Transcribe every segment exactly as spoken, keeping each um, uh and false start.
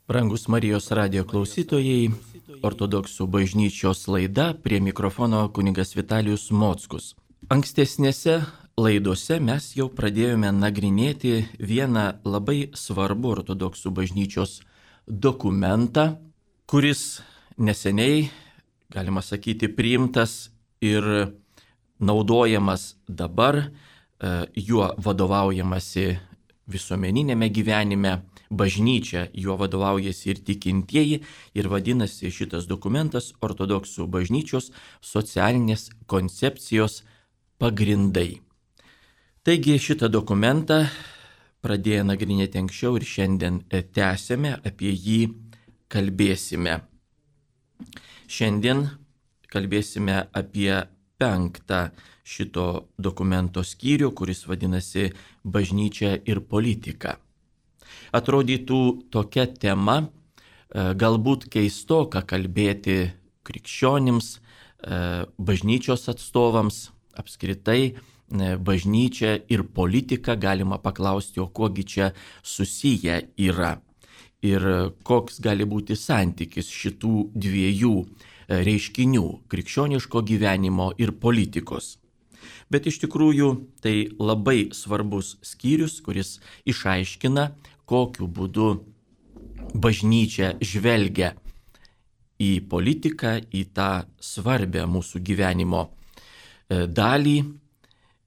Brangus Marijos radijo klausytojai, Ortodoksų bažnyčios laida, prie mikrofono kunigas Vitalijus Mockus. Ankstesnėse laidose mes jau pradėjome nagrinėti vieną labai svarbų Ortodoksų bažnyčios dokumentą, kuris neseniai, galima sakyti, priimtas ir naudojamas dabar, juo vadovaujamasi visuomeninėme gyvenime, bažnyčia juo vadovaujasi ir tikintieji, ir vadinasi šitas dokumentas Ortodoksų bažnyčios socialinės koncepcijos pagrindai. Taigi šitą dokumentą pradėję nagrinėti anksčiau ir šiandien tęsėme, apie jį kalbėsime. Šiandien kalbėsime apie penktą šito dokumento skyrių, kuris vadinasi Bažnyčia ir politika. Atrodytų tokia tema, galbūt keistoka kalbėti krikščionims, bažnyčios atstovams, apskritai bažnyčia ir politika, galima paklausti, o kuogi čia susiję yra ir koks gali būti santykis šitų dviejų reiškinių - krikščioniško gyvenimo ir politikos. Bet iš tikrųjų tai labai svarbus skyrius, kuris išaiškina, kokiu būdu bažnyčia žvelgia į politiką, į tą svarbę mūsų gyvenimo dalį,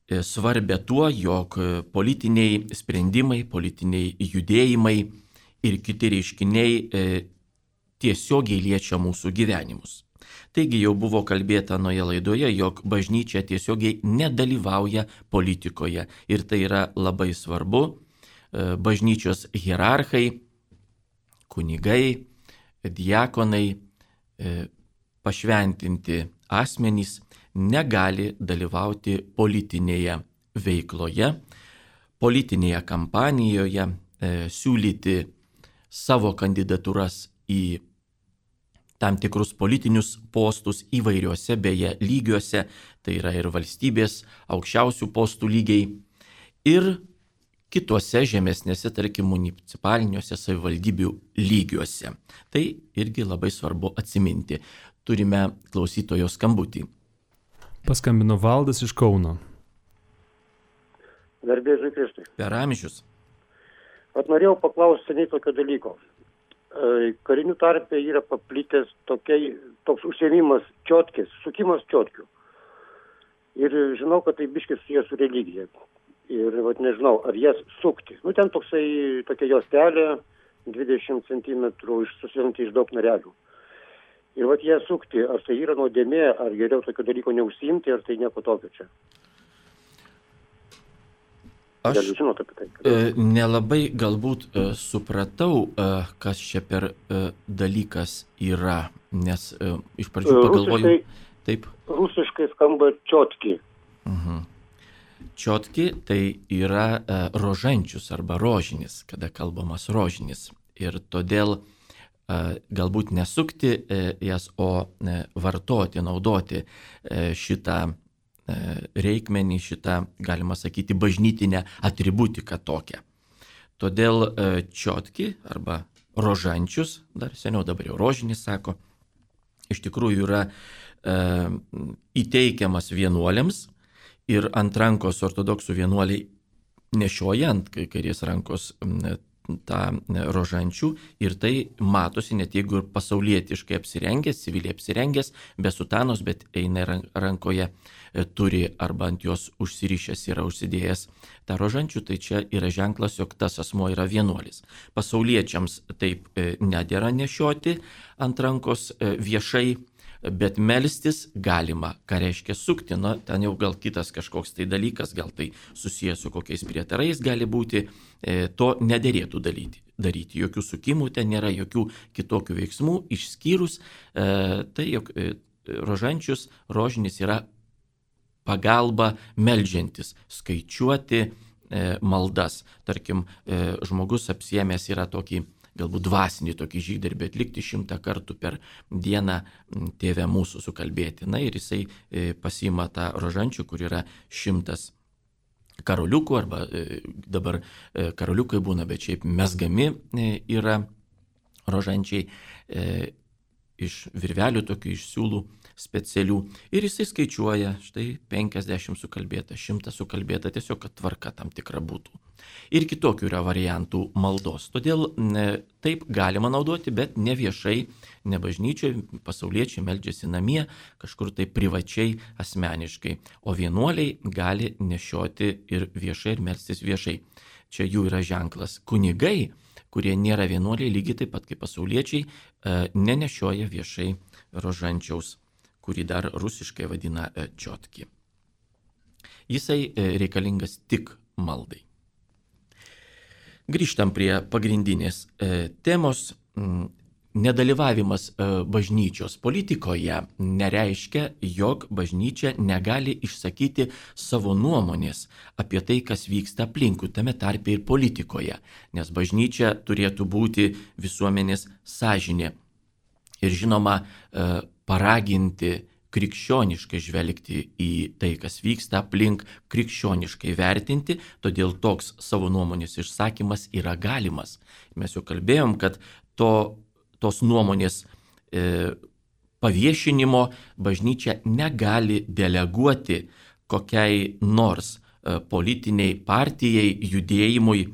svarbę tuo, jog politiniai sprendimai, politiniai judėjimai ir kiti reiškiniai tiesiogiai liečia mūsų gyvenimus. Taigi jau buvo kalbėta anoje laidoje, jog bažnyčia tiesiogiai nedalyvauja politikoje ir tai yra labai svarbu. Bažnyčios hierarchai, kunigai, diakonai, pašventinti asmenys negali dalyvauti politinėje veikloje, politinėje kampanijoje, siūlyti savo kandidatūras į tam tikrus politinius postus įvairiuose beje lygiuose, tai yra ir valstybės aukščiausių postų lygiai, ir kituose žemesnėse, tarkim, municipaliniuose savivaldybių lygiuose. Tai irgi labai svarbu atsiminti. Turime klausytojo skambutį. Paskambino Valdas iš Kauno. Garbė Jėzui Kristui. Per amžius. At norėjau paklausti seniai tokio dalyko. Karinių tarpe yra paplitęs tokiai, toks užsiėmimas čiotkės, sukimas čiotkių. Ir žinau, kad tai biškis susijęs su religija. Ir vat, nežinau, ar jas sukti. Nu, ten toksai, tokia juostelė, dvidešimt centimetrų susirinti iš daug narelių. Ir vat jas sukti, ar tai yra nuodėmė, ar geriau tokio dalyko neužsiimti, ar tai nieko tokio čia. Aš e, nelabai galbūt e, supratau, e, kas čia per e, dalykas yra, nes e, iš pradžių pagalvojau. Rusiškai, taip. Rusiškai skamba čiotki. Uh-huh. Čiotki tai yra e, rožančius arba rožinis, kada kalbamas rožinis. Ir todėl e, galbūt nesukti e, jas, o e, vartoti, naudoti e, šitą reikmenį, šitą, galima sakyti, bažnytinę atributiką tokią. Todėl čiotki arba rožančius, dar seniau dabar jau rožinis sako, iš tikrųjų yra e, įteikiamas vienuoliams ir ant rankos ortodoksų vienuoliai nešioja ant kairės rankos tą rožančių ir tai matosi, net jeigu ir pasaulietiškai apsirengęs, civiliai apsirengęs, be sutanos, bet eina rankoje, turi arba ant jos užsirišęs yra užsidėjęs tą rožančių, tai čia yra ženklas, jog tas asmuo yra vienuolis. Pasauliečiams taip nedėra nešioti ant rankos viešai, bet melstis galima. Ką reiškia sukti? Na, ten jau gal kitas kažkoks tai dalykas, gal tai susijęs su kokiais prietarais gali būti, e, to nederėtų daryti. daryti. Jokių sukimų ten nėra, jokių kitokių veiksmų, išskyrus e, tai, jog e, rožančius, rožinis yra pagalba meldžiantis, skaičiuoti e, maldas. Tarkim, e, žmogus apsiėmęs yra tokį galbūt dvasinį tokį žygdarbį atlikti šimtą kartų per dieną tėvę mūsų sukalbėti. Na ir jisai pasiima tą rožančių, kur yra šimtas karoliukų, arba dabar karoliukai būna, bet šiaip mezgami yra rožančiai e, iš virvelių, tokių iš siūlų specialių. Ir jisai skaičiuoja, štai penkiasdešimt sukalbėta, šimtas sukalbėta, tiesiog kad tvarka tam tikra būtų. Ir kitokių yra variantų maldos. Todėl ne, taip galima naudoti, bet ne viešai, ne bažnyčiai, pasauliečiai meldžiasi namie, kažkur tai privačiai, asmeniškai. O vienuoliai gali nešioti ir viešai, ir melstis viešai. Čia jų yra ženklas. Kunigai, kurie nėra vienuoliai, lygiai taip pat kaip pasauliečiai, nenešioja viešai rožančiaus, kurį dar rusiškai vadina čiotki. Jisai reikalingas tik maldai. Grįžtam prie pagrindinės temos. Nedalyvavimas bažnyčios politikoje nereiškia, jog bažnyčia negali išsakyti savo nuomonės apie tai, kas vyksta aplinkui, tame tarpe ir politikoje, nes bažnyčia turėtų būti visuomenės sąžinė. Ir žinoma, paraginti krikščioniškai žvelgti į tai, kas vyksta aplink, krikščioniškai vertinti, todėl toks savo nuomonės išsakymas yra galimas. Mes jau kalbėjom, kad to tos nuomonės e, paviešinimo bažnyčia negali deleguoti kokiai nors e, politiniai partijai, judėjimui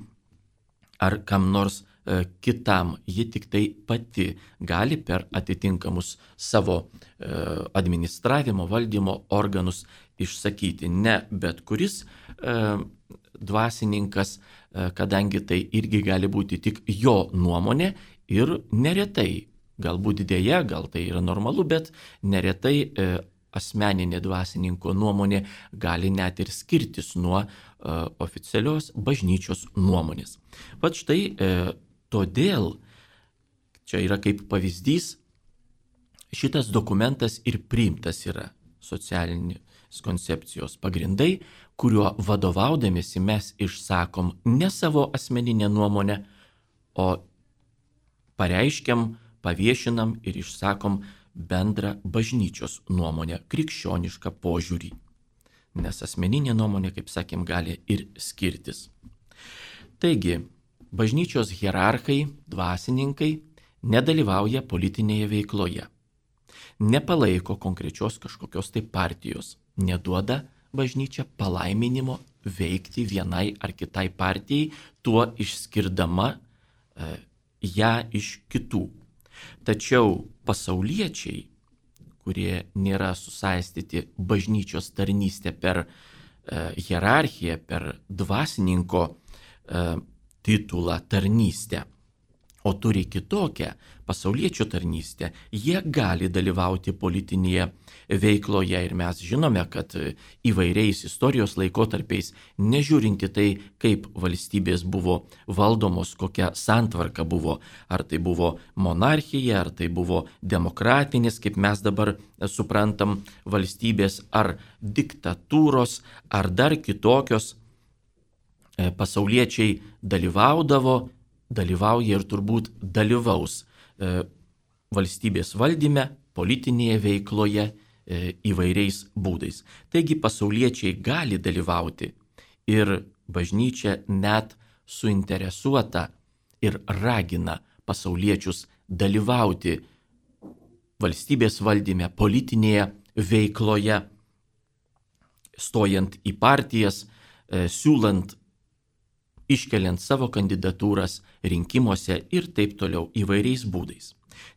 ar kam nors e, kitam. Ji tik tai pati gali per atitinkamus savo e, administravimo, valdymo organus išsakyti. Ne bet kuris e, dvasininkas, e, kadangi tai irgi gali būti tik jo nuomonė. Ir neretai, galbūt dėja, gal tai yra normalu, bet neretai e, asmeninė dvasininko nuomonė gali net ir skirtis nuo e, oficialios bažnyčios nuomonės. Vat štai e, todėl, čia yra kaip pavyzdys, šitas dokumentas ir priimtas yra socialinės koncepcijos pagrindai, kuriuo vadovaudamėsi mes išsakom ne savo asmeninę nuomonę, o pareiškiam, paviešinam ir išsakom bendrą bažnyčios nuomonę, krikščionišką požiūrį. Nes asmeninė nuomonė, kaip sakėm, gali ir skirtis. Taigi, bažnyčios hierarchai, dvasininkai nedalyvauja politinėje veikloje, nepalaiko konkrečios kažkokios tai partijos, neduoda bažnyčia palaiminimo veikti vienai ar kitai partijai, tuo išskirdama e, ją iš kitų. Tačiau pasauliečiai, kurie nėra susaistyti bažnyčios tarnystę per e, hierarchiją, per dvasininko e, titulą tarnystę, o turi kitokią pasauliečių tarnystę, jie gali dalyvauti politinėje veikloje. Ir mes žinome, kad įvairiais istorijos laikotarpiais, nežiūrinti tai, kaip valstybės buvo valdomos, kokia santvarka buvo, ar tai buvo monarchija, ar tai buvo demokratinis, kaip mes dabar suprantam, valstybės, ar diktatūros, ar dar kitokios, pasauliečiai dalyvaudavo, dalyvauja ir turbūt dalyvaus e, valstybės valdyme, politinėje veikloje e, įvairiais būdais. Taigi pasauliečiai gali dalyvauti ir bažnyčia net suinteresuota ir ragina pasauliečius dalyvauti valstybės valdyme, politinėje veikloje, stojant į partijas, e, siūlant, iškeliant savo kandidatūras rinkimuose ir taip toliau įvairiais būdais.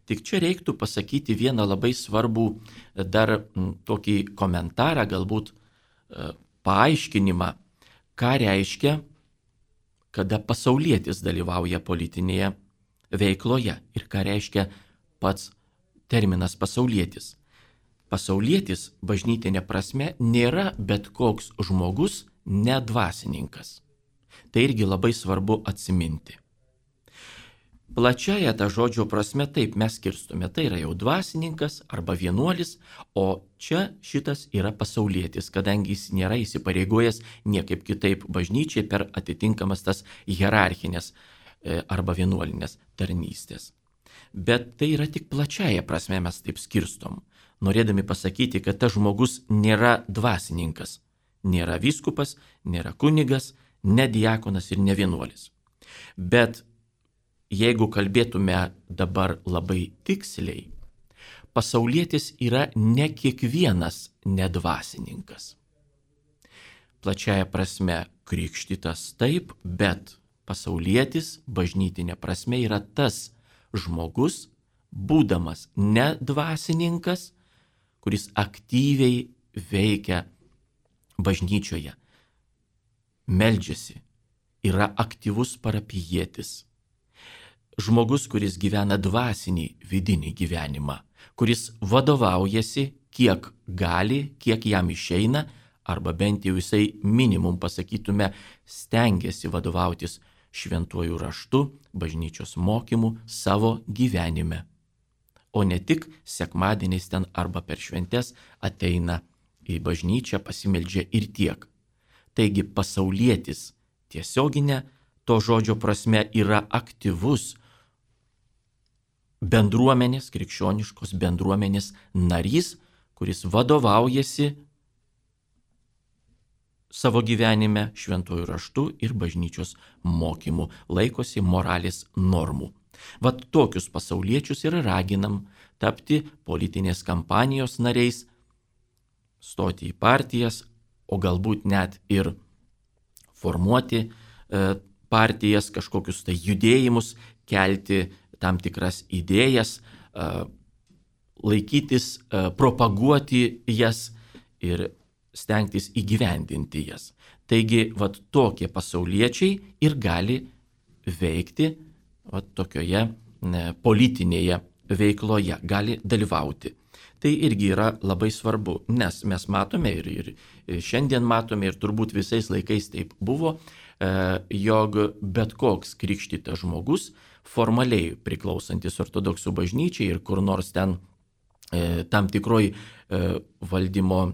Tik čia reiktų pasakyti vieną labai svarbų dar m, tokį komentarą, galbūt e, paaiškinimą, ką reiškia, kada pasaulietis dalyvauja politinėje veikloje ir ką reiškia pats terminas pasaulietis. Pasaulietis bažnytinė prasme nėra bet koks žmogus nedvasininkas. Tai irgi labai svarbu atsiminti. Plačiaja ta žodžio prasme taip mes skirstume. Tai yra jau dvasininkas arba vienuolis, o čia šitas yra pasaulietis, kadangi jis nėra įsipareigojęs niekaip kitaip bažnyčiai per atitinkamas tas hierarchinės arba vienuolinės tarnystės. Bet tai yra tik plačiaja prasme mes taip skirstom, norėdami pasakyti, kad tas žmogus nėra dvasininkas, nėra vyskupas, nėra kunigas, ne diakonas ir ne vienuolis. Bet jeigu kalbėtume dabar labai tiksliai, pasaulietis yra ne kiekvienas nedvasininkas. Plačiaja prasme krikštytas taip, bet pasaulietis bažnytinė prasme yra tas žmogus, būdamas nedvasininkas, kuris aktyviai veikia bažnyčioje, meldžiasi, yra aktyvus parapijietis. Žmogus, kuris gyvena dvasinį vidinį gyvenimą, kuris vadovaujasi kiek gali, kiek jam išeina, arba bent jau jisai minimum pasakytume stengiasi vadovautis šventuoju raštu, bažnyčios mokymu savo gyvenime. O ne tik sekmadieniais ten arba per šventes ateina į bažnyčią, pasimeldžia ir tiek. Taigi pasaulietis tiesioginė to žodžio prasme yra aktyvus bendruomenės, krikščioniškos bendruomenės narys, kuris vadovaujasi savo gyvenime šventuoju raštu ir bažnyčios mokymu, laikosi moralės normų. Vat tokius pasauliečius ir raginam tapti politinės kampanijos nariais, stoti į partijas, o galbūt net ir formuoti e, partijas, kažkokius tai judėjimus, kelti tam tikras idėjas, e, laikytis, e, propaguoti jas ir stengtis įgyvendinti jas. Taigi, vat tokie pasauliečiai ir gali veikti vat tokioje ne, politinėje veikloje, gali dalyvauti. Tai irgi yra labai svarbu, nes mes matome ir, ir šiandien matome ir turbūt visais laikais taip buvo, e, jog bet koks krikštytas žmogus, formaliai priklausantis ortodoksų bažnyčiai ir kur nors ten e, tam tikroj e, valdymo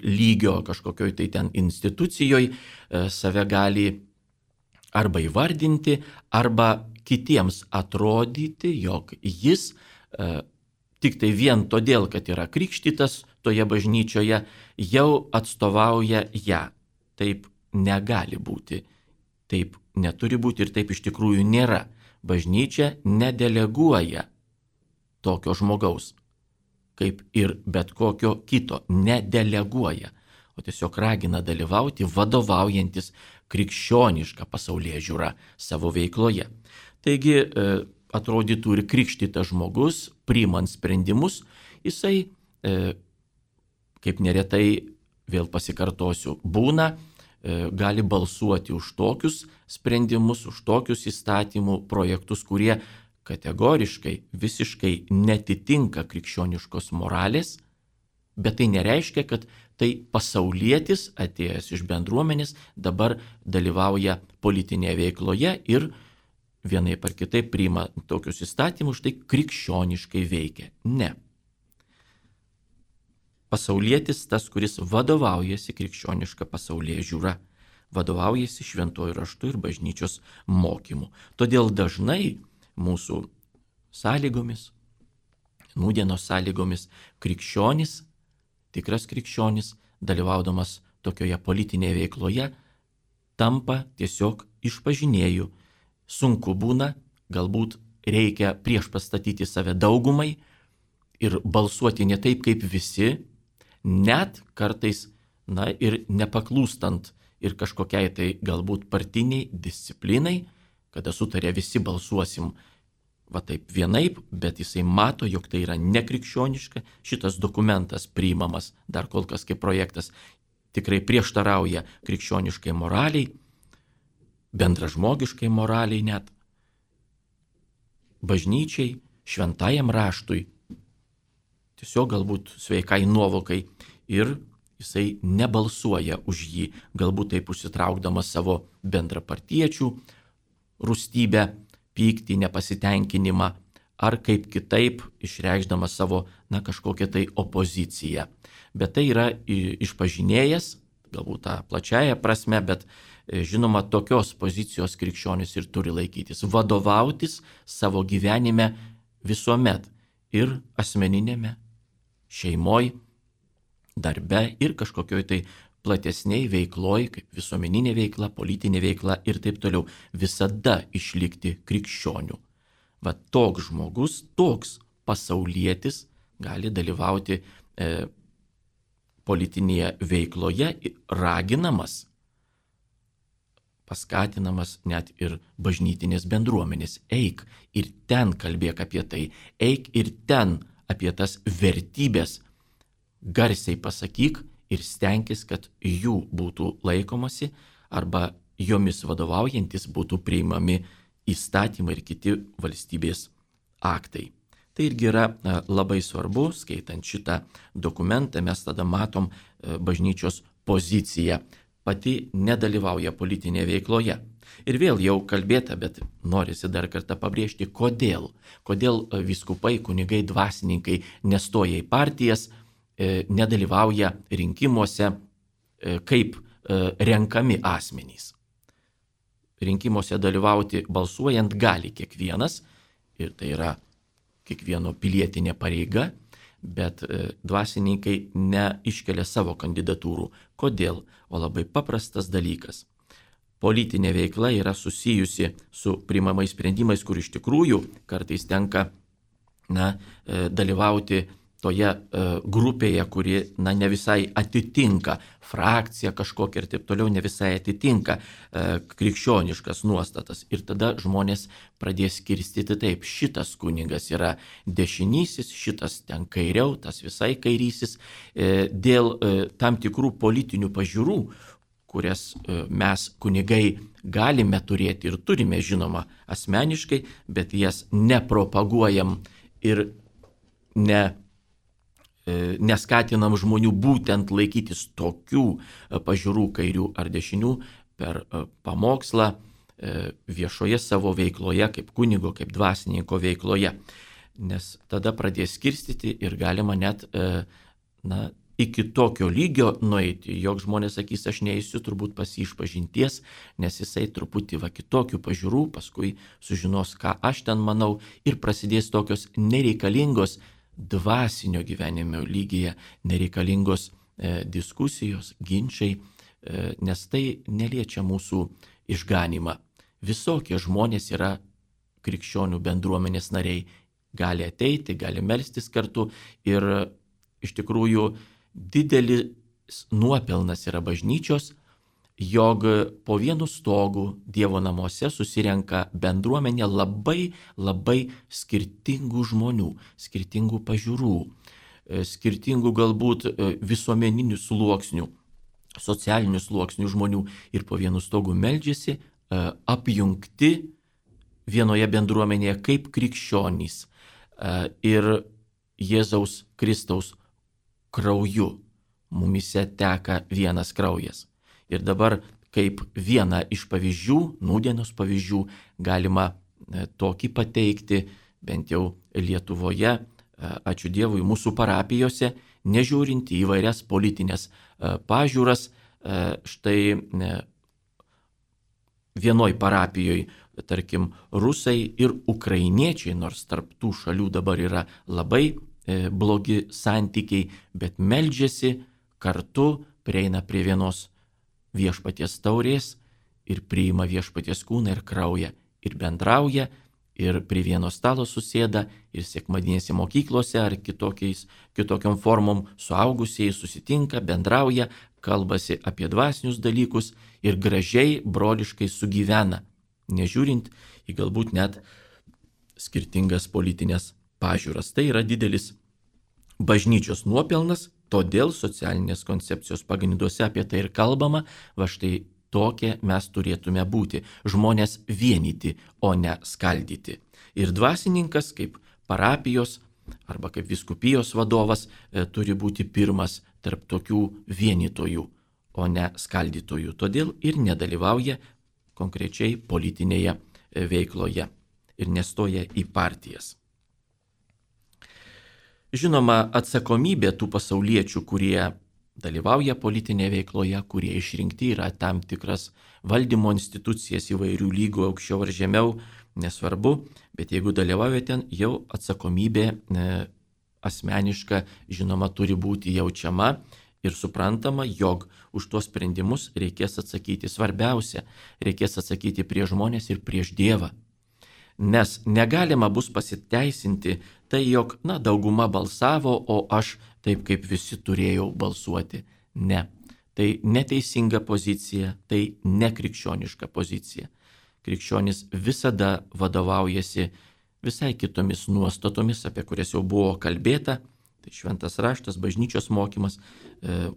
lygio kažkokioj tai ten institucijoje save gali arba įvardinti, arba kitiems atrodyti, jog jis e, tik tai vien todėl, kad yra krikštytas toje bažnyčioje, jau atstovauja ją. Taip negali būti, taip neturi būti ir taip iš tikrųjų nėra. Bažnyčia nedeleguoja tokio žmogaus, kaip ir bet kokio kito, nedeleguoja, o tiesiog ragina dalyvauti vadovaujantis krikščionišką pasaulėžiūrą savo veikloje. Taigi atrodytų ir krikštytas žmogus, priimant sprendimus, jisai, kaip neretai, vėl pasikartosiu, būna, gali balsuoti už tokius sprendimus, už tokius įstatymų projektus, kurie kategoriškai, visiškai netitinka krikščioniškos moralės, bet tai nereiškia, kad tai pasaulietis atėjęs iš bendruomenės dabar dalyvauja politinėje veikloje ir vienaip ar kitaip priima tokius įstatymus, štai krikščioniškai veikia. Ne. Pasaulietis tas, kuris vadovaujasi krikščioniška pasaulėžiūra, vadovaujasi šventuoju raštu ir bažnyčios mokymu. Todėl dažnai mūsų sąlygomis, nūdienos sąlygomis, krikščionis, tikras krikščionis, dalyvaudamas tokioje politinėje veikloje, tampa tiesiog išpažinėju. Sunku būna, galbūt reikia prieš pastatyti save daugumai ir balsuoti ne taip kaip visi, net kartais, na ir nepaklūstant ir kažkokiai tai galbūt partiniai disciplinai, kada sutarė visi balsuosim va taip vienaip, bet jisai mato, jog tai yra nekrikščioniška, šitas dokumentas priimamas dar kol kas kaip projektas tikrai prieštarauja krikščioniškai moraliai, bendražmogiškai moraliai net, bažnyčiai, šventajam raštui, tiesiog galbūt sveikai nuovokai ir jisai nebalsuoja už jį, galbūt taip užsitraukdamas savo bendrapartiečių rūstybę, pyktį, nepasitenkinimą, ar kaip kitaip išreikšdamas savo, na, kažkokią tai opoziciją. Bet tai yra išpažinėjas, galbūt tą plačiają prasme, bet žinoma, tokios pozicijos krikščionis ir turi laikytis, vadovautis savo gyvenime visuomet ir asmeninėme, šeimoj, darbe ir kažkokioj tai platesniai veikloj, kaip visuomeninė veikla, politinė veikla ir taip toliau, visada išlikti krikščioniu. Va toks žmogus, toks pasaulietis gali dalyvauti e, politinėje veikloje, raginamas, paskatinamas net ir bažnytinės bendruomenės. Eik ir ten kalbėk apie tai, eik ir ten apie tas vertybės garsiai pasakyk ir stenkis, kad jų būtų laikomasi arba jomis vadovaujantis būtų priimami įstatymai ir kiti valstybės aktai. Tai irgi yra labai svarbu, skaitant šitą dokumentą, mes tada matom bažnyčios poziciją. Pati nedalyvauja politinėje veikloje. Ir vėl jau kalbėta, bet norisi dar kartą pabrėžti, kodėl. Kodėl vyskupai, kunigai, dvasininkai nestoja į partijas, nedalyvauja rinkimuose kaip renkami asmenys. Rinkimuose dalyvauti balsuojant gali kiekvienas, ir tai yra kiekvieno pilietinė pareiga, bet dvasininkai neiškelia savo kandidatūrų. Kodėl? O labai paprastas dalykas. Politinė veikla yra susijusi su priimamais sprendimais, kur iš tikrųjų kartais tenka na, dalyvauti toje grupėje, kuri na, ne visai atitinka frakciją kažkokią ir taip toliau, ne visai atitinka krikščioniškas nuostatas. Ir tada žmonės pradės skirstyti taip, šitas kunigas yra dešinysis, šitas ten kairiau, tas visai kairysis, dėl tam tikrų politinių pažiūrų, kurias mes kunigai galime turėti ir turime žinoma asmeniškai, bet jas nepropaguojam ir ne neskatinam žmonių būtent laikytis tokių pažiūrų kairių ar dešinių per pamokslą viešoje savo veikloje, kaip kunigo, kaip dvasininko veikloje. Nes tada pradės skirstyti ir galima net na, iki tokio lygio nueiti, jog žmonės sakys, aš neįsiu turbūt pas jį išpažinties, nes jisai truputį va kitokių pažiūrų, paskui sužinos, ką aš ten manau, ir prasidės tokios nereikalingos dvasinio gyvenimo lygyje nereikalingos e, diskusijos, ginčiai, e, nes tai neliečia mūsų išganimą. Visokie žmonės yra krikščionių bendruomenės nariai, gali ateiti, gali melstis kartu ir iš tikrųjų didelis nuopelnas yra bažnyčios, jog po vienu stogu Dievo namuose susirenka bendruomenė labai, labai skirtingų žmonių, skirtingų pažiūrų, skirtingų galbūt visuomeninių sluoksnių, socialinių sluoksnių žmonių ir po vienu stogu meldžiasi apjungti vienoje bendruomenėje kaip krikščionys ir Jėzaus Kristaus krauju mumise teka vienas kraujas. Ir dabar kaip vieną iš pavyzdžių, nūdienos pavyzdžių, galima tokį pateikti, bent jau Lietuvoje, ačiū Dievui, mūsų parapijose, nežiūrint į įvairias politinės pažiūras, štai vienoj parapijoje, tarkim, rusai ir ukrainiečiai, nors tarp tų šalių dabar yra labai blogi santykiai, bet meldžiasi kartu, prieina prie vienos viešpaties taurės ir priima viešpaties kūną ir kraują ir bendrauja ir prie vieno stalo susėda ir sekmadinėse mokyklose ar kitokiais, kitokiom formom suaugusieji susitinka, bendrauja, kalbasi apie dvasinius dalykus ir gražiai, broliškai sugyvena, nežiūrint į galbūt net skirtingas politinės pažiūras. Tai yra didelis bažnyčios nuopelnas. Todėl socialinės koncepcijos pagrinduose apie tai ir kalbama, va štai tokie mes turėtume būti, žmonės vienyti, o ne skaldyti. Ir dvasininkas kaip parapijos arba kaip vyskupijos vadovas e, turi būti pirmas tarp tokių vienytojų, o ne skaldytojų. Todėl ir nedalyvauja konkrečiai politinėje veikloje ir nestoja į partijas. Žinoma, atsakomybė tų pasauliečių, kurie dalyvauja politinėje veikloje, kurie išrinkti yra tam tikras valdymo institucijas įvairių lygių, aukščiau ar žemiau, nesvarbu, bet jeigu dalyvauja ten, jau atsakomybė e, asmeniška, žinoma, turi būti jaučiama Ir suprantama, jog už tuos sprendimus reikės atsakyti. Svarbiausia, reikės atsakyti prieš žmonės ir prieš Dievą. Nes negalima bus pasiteisinti tai, jog, na, dauguma balsavo, o aš taip kaip visi turėjau balsuoti. Ne. Tai neteisinga pozicija, tai nekrikščioniška pozicija. Krikščionis visada vadovaujasi visai kitomis nuostatomis, apie kurias jau buvo kalbėta. Tai šventas raštas, bažnyčios mokymas,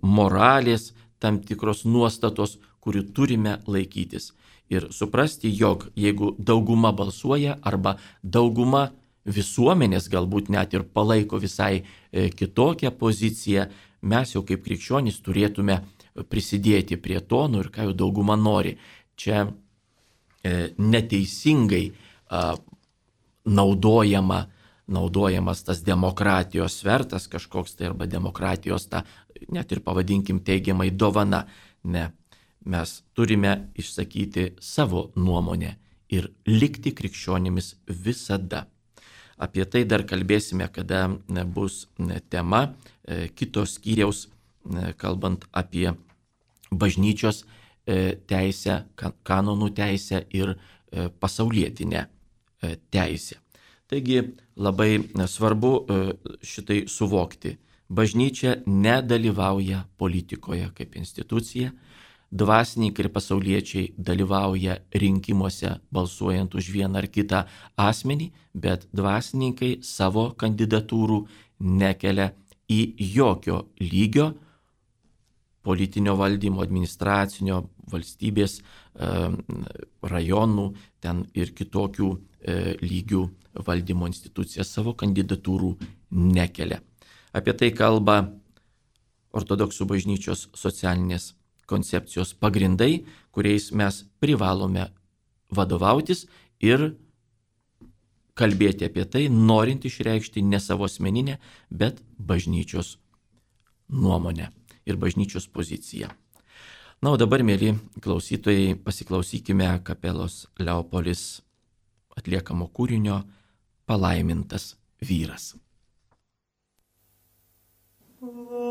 moralės, tam tikros nuostatos, kurių turime laikytis. Ir suprasti, jog jeigu dauguma balsuoja arba dauguma visuomenės galbūt net ir palaiko visai kitokią poziciją, mes jau kaip krikščionys turėtume prisidėti prie to, nu ir ką jau dauguma nori. Čia e, neteisingai a, naudojama, naudojamas tas demokratijos svertas kažkoks tai arba demokratijos ta, net ir pavadinkim teigiamai dovana. Ne, mes turime išsakyti savo nuomonę ir likti krikščionimis visada. Apie tai dar kalbėsime, kada bus tema kitos skyriaus, kalbant apie bažnyčios teisę, kanonų teisę ir pasaulietinę teisę. Taigi labai svarbu šitai suvokti. Bažnyčia nedalyvauja politikoje kaip institucija, dvasininkai ir pasauliečiai dalyvauja rinkimuose balsuojant už vieną ar kitą asmenį, bet dvasininkai savo kandidatūrų nekelia į jokio lygio politinio valdymo, administracinio, valstybės, rajonų, ten ir kitokių lygių valdymo institucijas savo kandidatūrų nekelia. Apie tai kalba ortodoksų bažnyčios socialinės koncepcijos pagrindai, kuriais mes privalome vadovautis ir kalbėti apie tai, norint išreikšti ne savo asmeninę, bet bažnyčios nuomonę ir bažnyčios poziciją. Na, o dabar, mėly klausytojai, pasiklausykime kapelos Leopolis atliekamo kūrinio Palaimintas vyras. Oh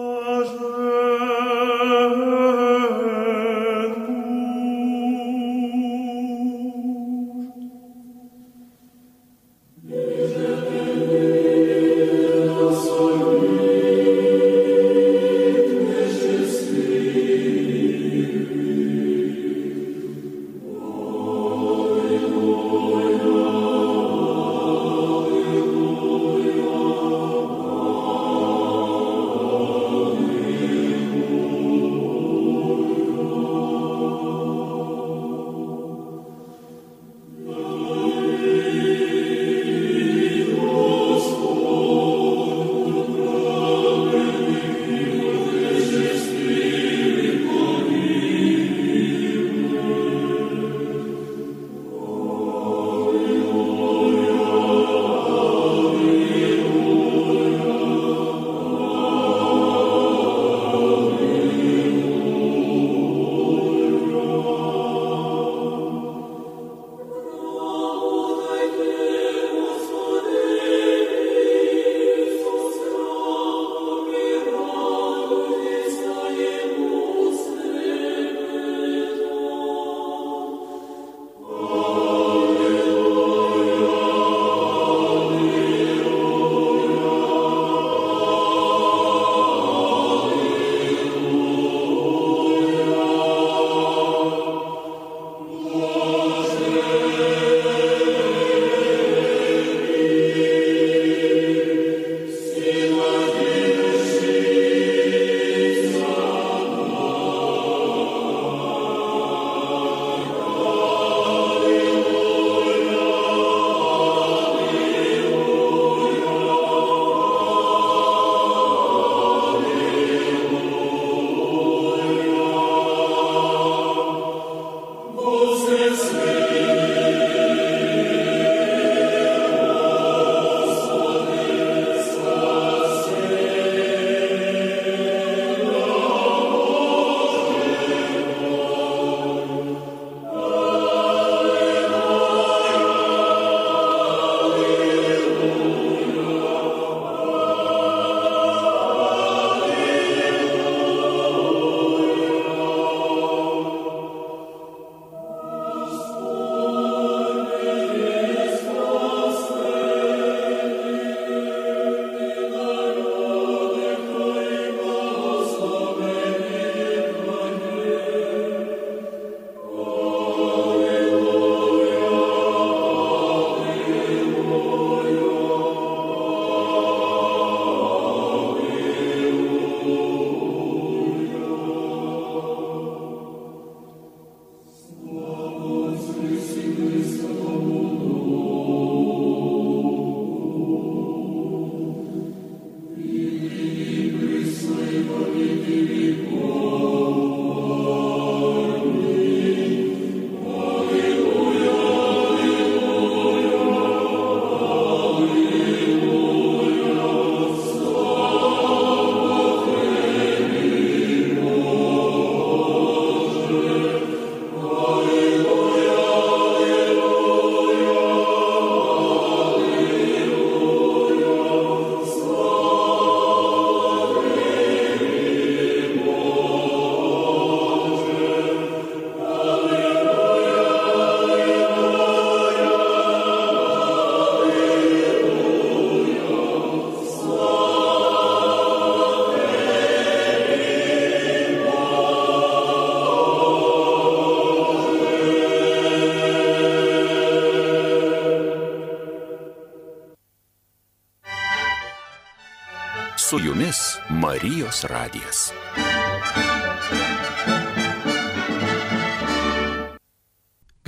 Su jumis Marijos radijas.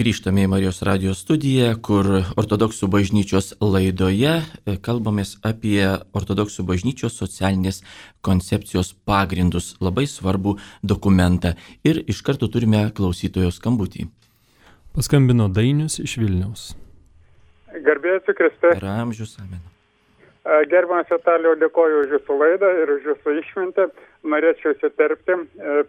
Grįžtame į Marijos radijos studiją, kur ortodoksų bažnyčios laidoje kalbamės apie ortodoksų bažnyčios socialinės koncepcijos pagrindus, labai svarbų dokumentą. Ir iš karto turime klausytojo skambutį. Paskambino Dainius iš Vilniaus. Garbėsiu Kriste. Per amžius, amen. Gerbiamas Vitalijau, dėkoju už jūsų laidą ir už jūsų išmintį. Norėčiau įsiterpti.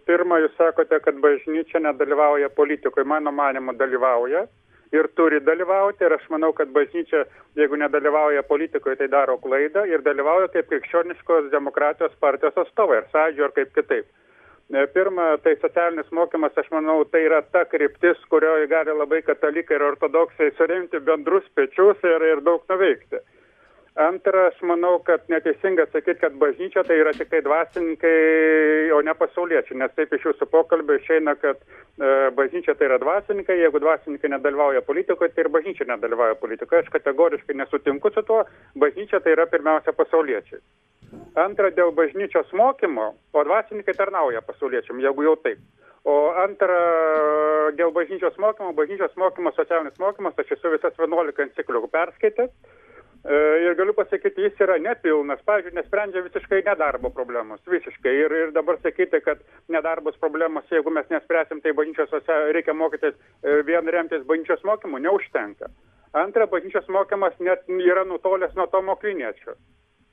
Pirma, jūs sakote, kad bažnyčia nedalyvauja politikoje. Mano manymu dalyvauja ir turi dalyvauti. Ir aš manau, kad bažnyčia, jeigu nedalyvauja politikoje, tai daro klaidą ir dalyvauja kaip krikščioniškos demokratijos partijos atstovai, ar sąjūdžio, ar kaip kitaip. Pirma, tai socialinis mokymas, aš manau, tai yra ta kryptis, kurioje gali labai katalikai ir ortodoksai suremti bendrus pečius ir, ir daug nuveikti. Antra, aš manau, kad neteisinga sakyti, kad bažnyčia tai yra tik tai dvasininkai, o ne pasauliečiai, nes taip iš jūsų pokalbio išeina, kad e, bažnyčia tai yra dvasininkai, jeigu dvasininkai nedalyvauja politikoje, tai ir bažnyčia nedalyvauja politikoje. Aš kategoriškai nesutinku su tuo, bažnyčia tai yra pirmiausia pasauliečiai. Antra, dėl bažnyčios mokymo, o dvasininkai tarnauja pasauliečiam, jeigu jau taip. O antra, dėl bažnyčios mokymo, bažnyčios mokymo, socialinis mokymas, aš esu visas vienuolika enciklikų perskaitęs. Ir galiu pasakyti, jis yra nepilnas, pavyzdžiui, nesprendžia visiškai nedarbo problemos, visiškai. Ir, ir dabar sakyti, kad nedarbos problemos, jeigu mes nespręsim, tai bažnyčios reikia mokytis vien remtis bažnyčios mokymu, neužtenka. Antra, bažnyčios mokymas net yra nutolęs nuo Tomo Akviniečio.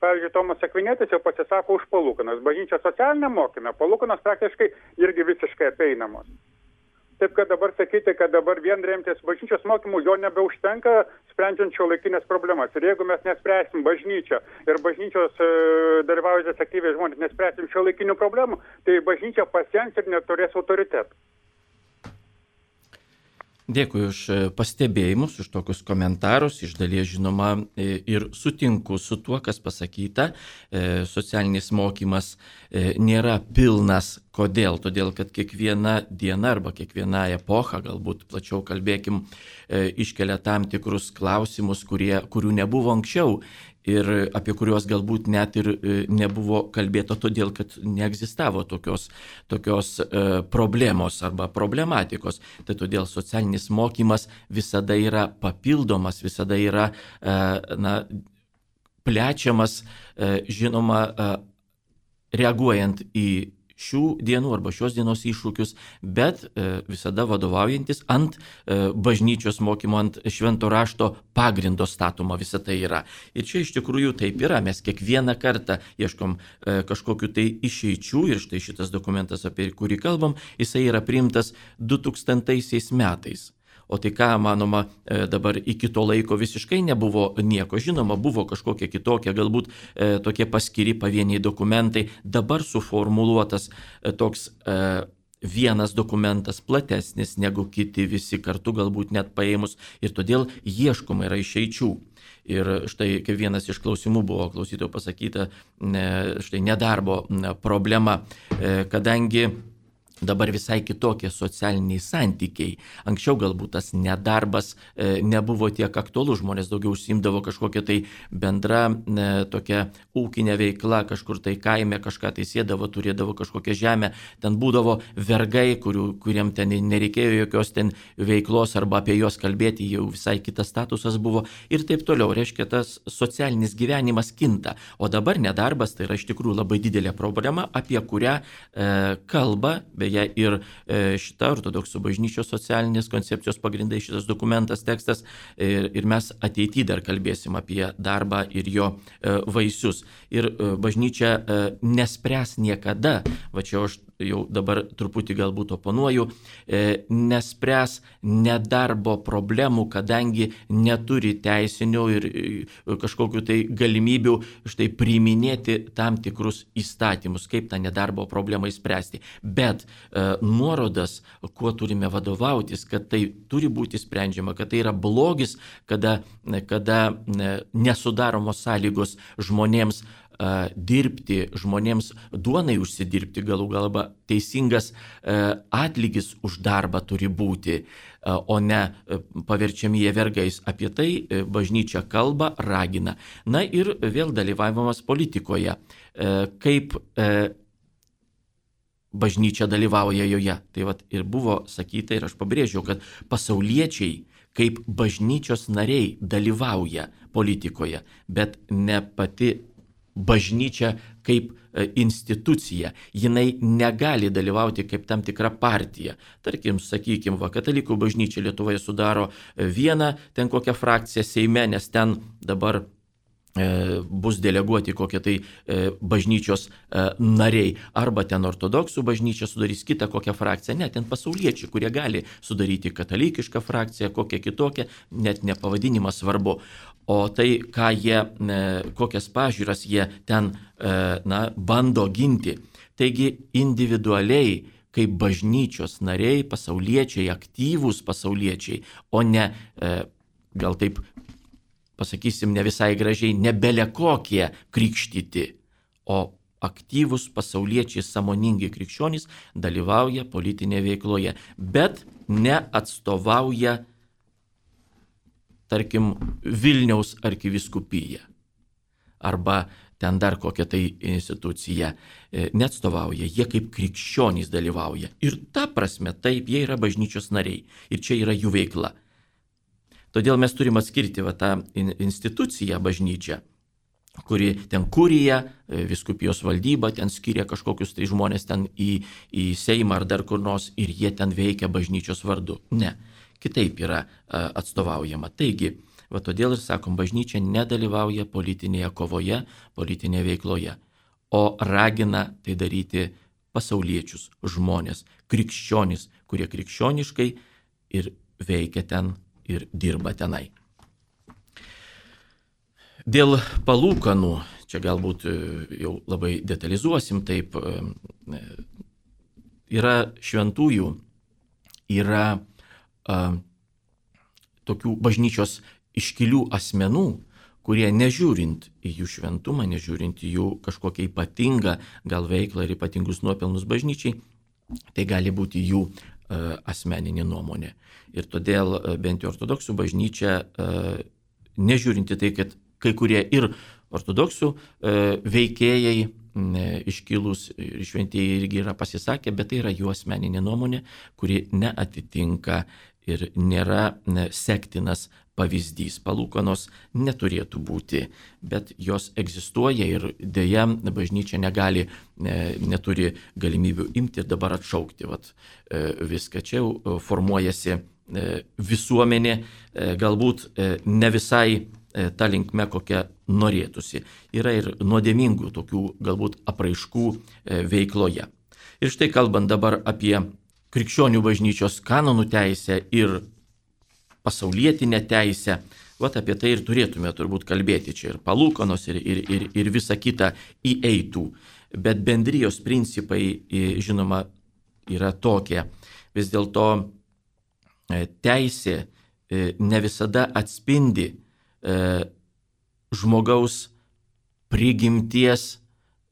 Pavyzdžiui, Tomas Akvinietis jau pasisako už palūkanas. Bažnyčios socialinė mokyme palūkanas praktiškai irgi visiškai apeinamos. Taip, kad dabar sakyti, kad dabar vien remtis bažnyčios mokymų jo nebeužtenka, sprendžiant šiuolaikinės problemas. Ir jeigu mes nespręsim bažnyčią ir bažnyčios e, dalyvaujančios aktyviai žmonės nespręsim šiuolaikinių problemų, tai bažnyčia pasens ir neturės autoritetų. Dėkui už pastebėjimus, už tokius komentarus. Iš dalies, žinoma, ir sutinku su tuo, kas pasakyta. Socialinis mokymas nėra pilnas. Kodėl? Todėl, kad kiekviena diena arba kiekviena epocha, galbūt plačiau kalbėkim, iškelia tam tikrus klausimus, kurie, kurių nebuvo anksčiau. Ir apie kuriuos galbūt net ir nebuvo kalbėta, todėl kad neegzistavo tokios, tokios e, problemos arba problematikos. Tai todėl socialinis mokymas visada yra papildomas, visada yra e, na, plečiamas, e, žinoma, e, reaguojant į šių dienų arba šios dienos iššūkius, bet e, visada vadovaujantis ant e, bažnyčios mokymo, ant švento rašto pagrindo statoma visa tai yra. Ir čia iš tikrųjų taip yra, mes kiekvieną kartą ieškom e, kažkokiu tai išeičių ir štai šitas dokumentas, apie kurį kalbam, jisai yra priimtas du tūkstantaisiais metais. O tai ką, manoma, dabar iki to laiko visiškai nebuvo nieko. Žinoma, buvo kažkokie kitokie, galbūt e, tokie paskiri pavieniai dokumentai. Dabar suformuluotas e, toks e, vienas dokumentas platesnis negu kiti visi kartu, galbūt net paėmus. Ir todėl ieškoma yra išeičių. Ir štai kaip vienas iš klausimų buvo klausytojo pasakyta, e, štai nedarbo problema, e, kadangi dabar visai kitokie socialiniai santykiai. Anksčiau galbūt tas nedarbas e, nebuvo tiek aktualus, žmonės daugiau užsiimdavo kažkokią tai bendrą e, tokią ūkinę veiklą, kažkur tai kaime kažką tai sėdavo, turėdavo kažkokią žemę, ten būdavo vergai, kurių, kuriem ten nereikėjo jokios ten veiklos arba apie juos kalbėti, jau visai kitas statusas buvo ir taip toliau. Reiškia, tas socialinis gyvenimas kinta. O dabar nedarbas tai yra iš tikrųjų labai didelė problema, apie kurią e, kalba, beje, ir šita ortodoksų bažnyčios socialinės koncepcijos pagrindai, šitas dokumentas, tekstas, ir, ir mes ateityje dar kalbėsim apie darbą ir jo vaisius. Ir bažnyčia nespręs niekada, va čia aš jau dabar truputį galbūt oponuoju, nespręs nedarbo problemų, kadangi neturi teisinių ir kažkokių tai galimybių štai priiminėti tam tikrus įstatymus, kaip tą nedarbo problemą įspręsti. Bet e, nuorodas, kuo turime vadovautis, kad tai turi būti sprendžiama, kad tai yra blogis, kada, kada nesudaromos sąlygos žmonėms dirbti, žmonėms duonai užsidirbti, galų galba teisingas atlygis už darbą turi būti, o ne paverčiami jie vergais. Apie tai bažnyčia kalba, ragina. Na ir vėl dalyvavimas politikoje. Kaip bažnyčia dalyvauja joje. Tai vat ir buvo sakyta, ir aš pabrėžiau, kad pasauliečiai kaip bažnyčios nariai dalyvauja politikoje, bet ne pati bažnyčia kaip institucija. Jinai negali dalyvauti kaip tam tikra partija. Tarkim, sakykime, va, katalikų bažnyčia Lietuvoje sudaro vieną ten kokią frakciją Seime, nes ten dabar e, bus deleguoti kokie tai e, bažnyčios e, nariai. Arba ten ortodoksų bažnyčia sudarys kitą kokią frakciją. Ne, ten pasauliečiai, kurie gali sudaryti katalikišką frakciją, kokią kitokią, net ne pavadinimas svarbu. O tai, ką jie, kokias pažiūras jie ten na, bando ginti. Taigi individualiai, kaip bažnyčios nariai, pasauliečiai, aktyvūs pasauliečiai, o ne, gal taip pasakysim, ne visai gražiai, ne belekokie krikštyti, o aktyvūs pasauliečiai, sąmoningi krikščionys dalyvauja politinėje veikloje, bet neatstovauja, tarkim, Vilniaus arkivyskupija arba ten dar kokia tai institucija neatstovauja, jie kaip krikščionys dalyvauja. Ir ta prasme, taip, jie yra bažnyčios nariai ir čia yra jų veikla. Todėl mes turim atskirti va, tą instituciją bažnyčią, kuri ten kurija, vyskupijos valdyba, ten skiria kažkokius tai žmonės ten į, į Seimą ar dar kur nors ir jie ten veikia bažnyčios vardu. Ne. Kitaip yra atstovaujama. Taigi, va todėl ir sakom, bažnyčia nedalyvauja politinėje kovoje, politinėje veikloje, o ragina tai daryti pasauliečius, žmonės, krikščionys, kurie krikščioniškai ir veikia ten ir dirba tenai. Dėl palūkanų, čia galbūt jau labai detalizuosim, taip, yra šventųjų, yra tokių bažnyčios iškilių asmenų, kurie nežiūrint į jų šventumą, nežiūrint į jų kažkokią ypatingą gal veiklą ir ypatingus nuopelnus bažnyčiai, tai gali būti jų asmeninė nuomonė. Ir todėl bent jau ortodoksų bažnyčia, nežiūrint į tai, kad kai kurie ir ortodoksų veikėjai iškilus ir šventieji irgi yra pasisakę, bet tai yra jų asmeninė nuomonė, kuri neatitinka ir nėra sektinas pavyzdys. Palūkanos neturėtų būti, bet jos egzistuoja ir dėja bažnyčia negali, neturi galimybių imti ir dabar atšaukti vat, viską. Čia jau formuojasi visuomenė, galbūt ne visai ta linkme, kokia norėtųsi. Yra ir nuodėmingų tokių galbūt apraiškų veikloje. Ir štai kalbant dabar apie krikščionių bažnyčios kanonų teisę ir pasaulietinę teisę, vat apie tai ir turėtume turbūt kalbėti. Čia ir palūkanos, ir, ir, ir, ir visa kita įeitų. Bet bendrijos principai, žinoma, yra tokie. Vis dėlto teisė ne visada atspindi žmogaus prigimties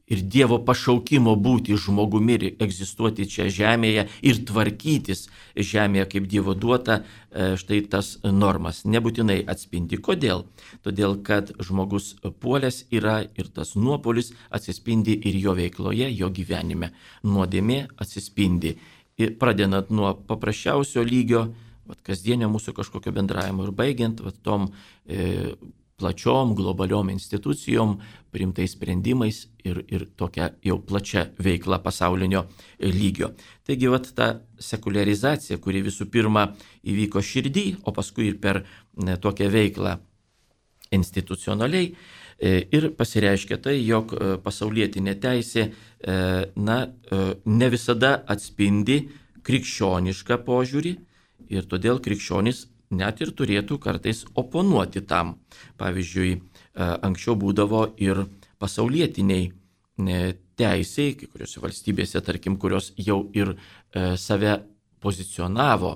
ir Dievo pašaukimo būti žmogumi ir egzistuoti čia žemėje ir tvarkytis žemėje kaip Dievo duota, štai tas normas nebūtinai atspindi. Kodėl? Todėl, kad žmogus puolęs yra ir tas nuopolis atsispindi ir jo veikloje, jo gyvenime. Nuodėmė atsispindi. Ir pradedant nuo paprasčiausio lygio, vat, kasdienio mūsų kažkokio bendravimo ir baigiant vat, tom e, plačiom globaliom institucijom, priimtais sprendimais ir, ir tokia jau plačia veikla pasaulinio lygio. Taigi vat, ta sekuliarizacija, kuri visų pirma įvyko širdį, o paskui ir per ne, tokią veiklą institucionaliai, e, ir pasireiškia tai, jog pasaulietinė teisė e, na, e, ne visada atspindi krikščionišką požiūrį. Ir todėl krikščionys net ir turėtų kartais oponuoti tam. Pavyzdžiui, anksčiau būdavo ir pasaulietiniai teisiai, kai kuriuose valstybėse, tarkim, kurios jau ir save pozicionavo,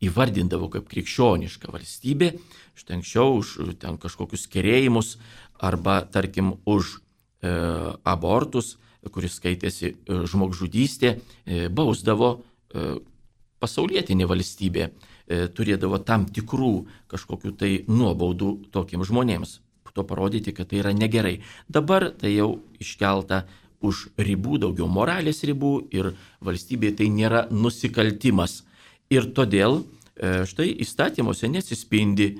įvardindavo kaip krikščioniška valstybė, štai anksčiau už ten kažkokius kerėjimus arba, tarkim, už abortus, kuris skaitėsi žmogžudystė, bausdavo pasaulietinė valstybė, turėdavo tam tikrų kažkokių tai nuobaudų tokiems žmonėms. To parodyti, kad tai yra negerai. Dabar tai jau iškelta už ribų, daugiau moralės ribų ir valstybėje tai nėra nusikaltimas. Ir todėl štai įstatymuose nesispindi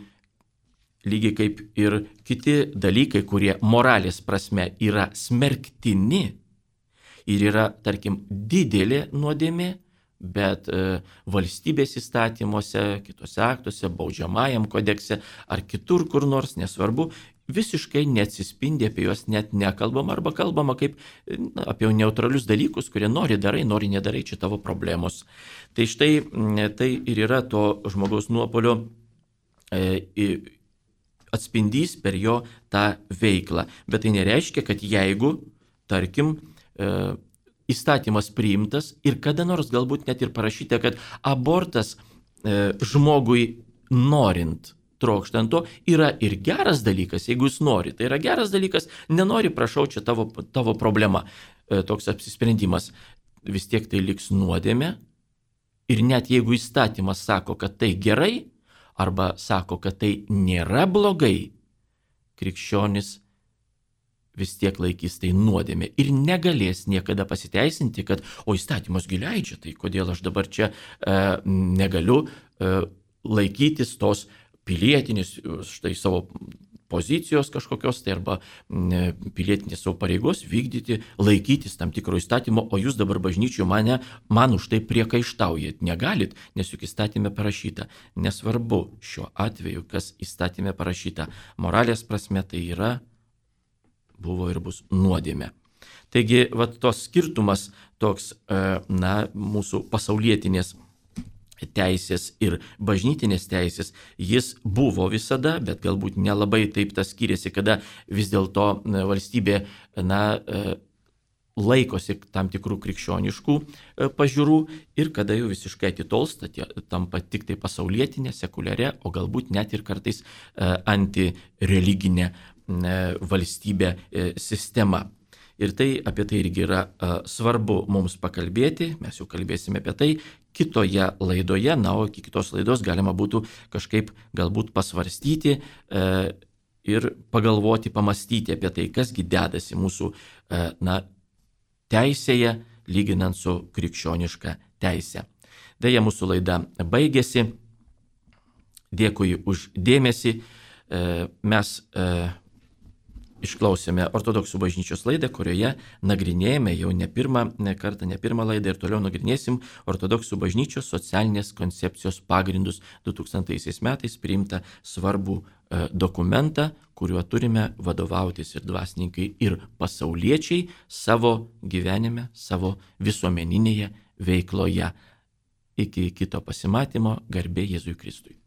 lygiai kaip ir kiti dalykai, kurie moralės prasme yra smerktini ir yra, tarkim, didelė nuodėmė, bet e, valstybės įstatymuose, kitose aktuose, baudžiamajam kodekse ar kitur kur nors, nesvarbu, visiškai neatsispindi, apie juos net nekalbama arba kalbama kaip na, apie neutralius dalykus, kurie nori darai, nori nedarai, čia tavo problemos. Tai štai tai ir yra to žmogaus nuopolio e, atspindys per jo tą veiklą. Bet tai nereiškia, kad jeigu, tarkim, e, įstatymas priimtas ir kada nors galbūt net ir parašyta, kad abortas e, žmogui norint, trokštant to, yra ir geras dalykas, jeigu jis nori. Tai yra geras dalykas, nenori, prašau, čia tavo, tavo problema, e, toks apsisprendimas. Vis tiek tai liks nuodėmė ir net jeigu įstatymas sako, kad tai gerai, arba sako, kad tai nėra blogai, krikščionis vis tiek laikys tai nuodėmė ir negalės niekada pasiteisinti, kad o įstatymas gi leidžia, tai kodėl aš dabar čia e, negaliu e, laikytis tos pilietinės, štai savo pozicijos kažkokios, tai arba e, pilietinės savo pareigos vykdyti, laikytis tam tikro įstatymo, o jūs dabar bažnyčioje mane, man už tai priekaištaujat. Negalit, nes juk įstatymė parašyta. Nesvarbu šiuo atveju, kas įstatymė parašyta. Moralės prasme tai yra, buvo ir bus nuodėmė. Taigi, vat tos skirtumas toks, na, mūsų pasaulietinės teisės ir bažnytinės teisės, jis buvo visada, bet galbūt nelabai taip tas skiriasi, kada vis dėlto valstybė, na, laikosi tam tikrų krikščioniškų pažiūrų ir kada jau visiškai atitolsta, tampa tik tai pasaulietinė, sekuliaria, o galbūt net ir kartais antireliginė valstybė sistema. Ir tai apie tai irgi yra a, svarbu mums pakalbėti, mes jau kalbėsime apie tai kitoje laidoje, na, o iki kitos laidos galima būtų kažkaip galbūt pasvarstyti e, ir pagalvoti, pamastyti apie tai, kasgi dedasi mūsų e, na, teisėje, lyginant su krikščioniška teise. Deja, mūsų laida baigėsi. Dėkui už dėmesį. E, mes e, Išklausėme ortodoksų bažnyčios laidą, kurioje nagrinėjame jau ne pirmą ne kartą, ne pirmą laidą ir toliau nagrinėsim ortodoksų bažnyčios socialinės koncepcijos pagrindus du tūkstantaisiais metais priimtą svarbų e, dokumentą, kuriuo turime vadovautis ir dvasininkai, ir pasauliečiai savo gyvenime, savo visuomeninėje veikloje. Iki kito pasimatymo, garbė Jėzui Kristui.